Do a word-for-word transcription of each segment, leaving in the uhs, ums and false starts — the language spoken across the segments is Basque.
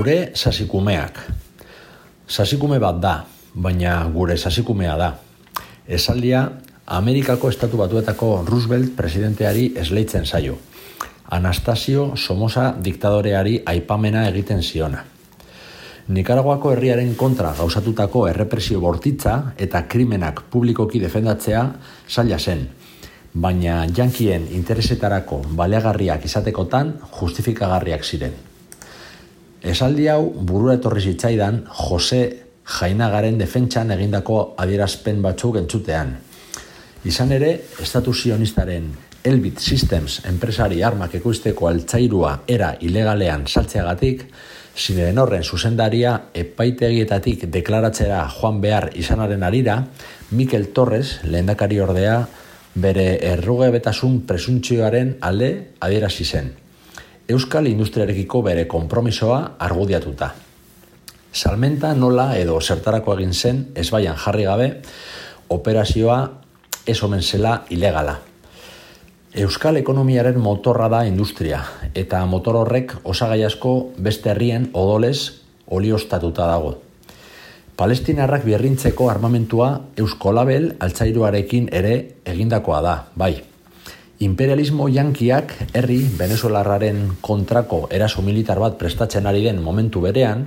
Gure sasikumeak. Sasikume bat da, baina gure sasikumea da. Esaldia Amerikako Estatu Batuetako Roosevelt presidenteari esleitzen zaio. Anastasio Somoza diktadoreari aipamena egiten ziona. Nikaraguako herriaren kontra gauzatutako errepresio bortitza eta krimenak publikoki defendatzea zaila zen, baina jankien interesetarako baliagarriak izatekotan justifikagarriak ziren. Esaldi hau burura etorri zitzaidan Jose Jainagaren defentsan egindako adierazpen batzuk entzutean. Izan ere, Estatu Zionistaren Elbit Systems enpresari armak ekoizteko altzairua era ilegalean saltzeagatik, Zineren horren zuzendaria epaitegietatik deklaratzera joan behar izanaren arira, Mikel Torres, lehendakari ordea, bere errugebetasun presuntzioaren alde adierazi zen. Euskal industriarekiko bere konpromisoa argudiatuta. Salmenta nola edo zertarako egin zen ezbaian jarri gabe, operazioa ez omen zela ilegala. Euskal ekonomiaren motorra da industria, eta motor horrek osagai asko beste herrien odolez olioztatuta dago. Palestinarrak birrintzeko armamentua Euskolabel altzairuarekin ere egindakoa da, bai. Imperialismo yankiak herri venezuelarraren kontrako eraso militar bat prestatzen ari den momentu berean,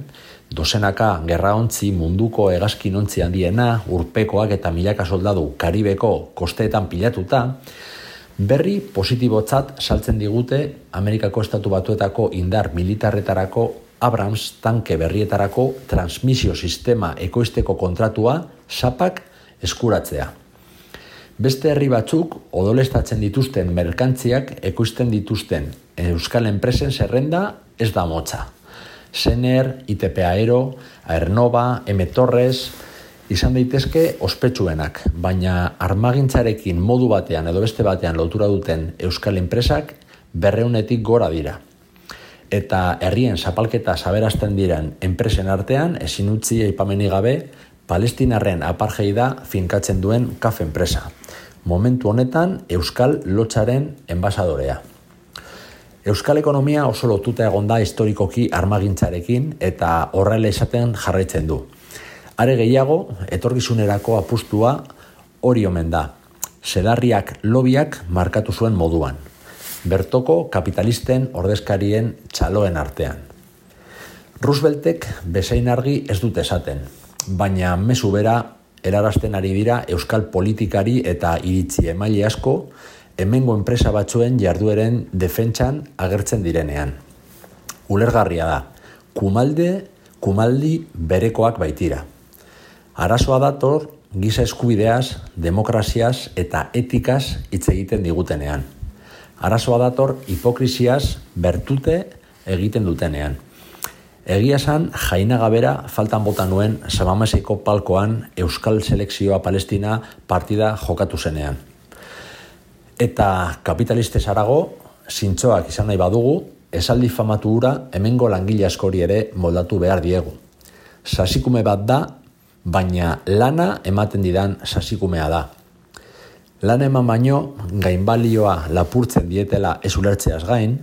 dozenaka gerraontzi munduko hegazkinontzi handiena, urpekoak eta milaka soldadu Karibeko kosteetan pilatuta, berri positibotzat saltzen digute Amerikako Estatu Batuetako indar militarretarako Abrams tanke berrietarako transmisio sistema ekoizteko kontratua sapak eskuratzea. Beste herri batzuk odolestatzen dituzten merkantziak ekoizten dituzten euskal enpresen zerrenda ez da motza. Sener, I T P Aero, Aernova, M. Torres, izan daitezke ospetsuenak, baina armagintzarekin modu batean edo beste batean lotura duten euskal enpresak berreunetik gora dira. Eta herrien zapalketa saberazten diren enpresen artean ezin utzi aipamenik gabe Palestinarren apartheida finkatzen duen K A F enpresa. Momentu honetan euskal lotsaren enbasadorea. Euskal ekonomia oso lotuta egon da historikoki armagintzarekin eta horrela izaten jarraitzen du. Are gehiago, etorkizunerako apustua hori omen da. Sedarriak lobiak markatu zuen moduan. Bertoko kapitalisten ordezkarien txaloen artean. Rooseveltek bezain argi ez dut esaten, baina mezu bera erarazten ari dira euskal politikari eta iritzi emaile asko hemengo enpresa batzuen jardueren defentsan agertzen direnean. Ulergarria da, kumalde, kumaldi berekoak baitira. Arazoa dator giza eskubideaz, demokraziaz eta etikaz hitz egiten digutenean. Arazoa dator hipokrisiaz bertute egiten dutenean. Egia esan, Jainaga bera faltan bota nuen Samameseko palkoan Euskal Selekzioa Palestina partida jokatu zenean. Eta kapitalistez harago, zintzoak izan nahi badugu, esaldi famatu hura hemengo langile askori ere moldatu behar diegu. Sasikume bat da, baina lana ematen didan sasikumea da. Lana eman baino, gainbalioa lapurtzen dietela ez ulertzeaz gain,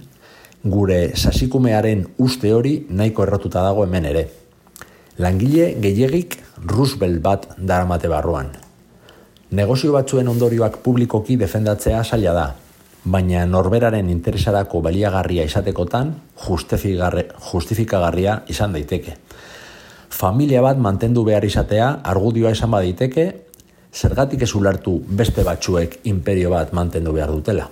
gure sasikumearen uste hori nahiko errotuta dago hemen ere. Langile gehiegik Roosevelt bat daramate barruan. Negozio batzuen ondorioak publikoki defendatzea zaila da, baina norberaren interesarako baliagarria izatekotan justifikagarria izan daiteke. Familia bat mantendu behar izatea argudioa esan baditeke, zergatik ez ulertu beste batzuek imperio bat mantendu behar dutela.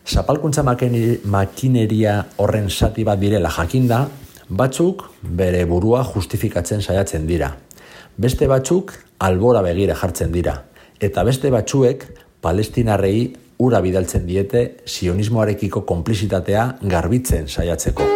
Zapalkuntza makineria horren zati bat direla jakinda, batzuk bere burua justifikatzen saiatzen dira. Beste batzuk albora begira jartzen dira, eta beste batzuek palestinarrei ura bidaltzen diete sionismoarekiko konplizitatea garbitzen saiatzeko.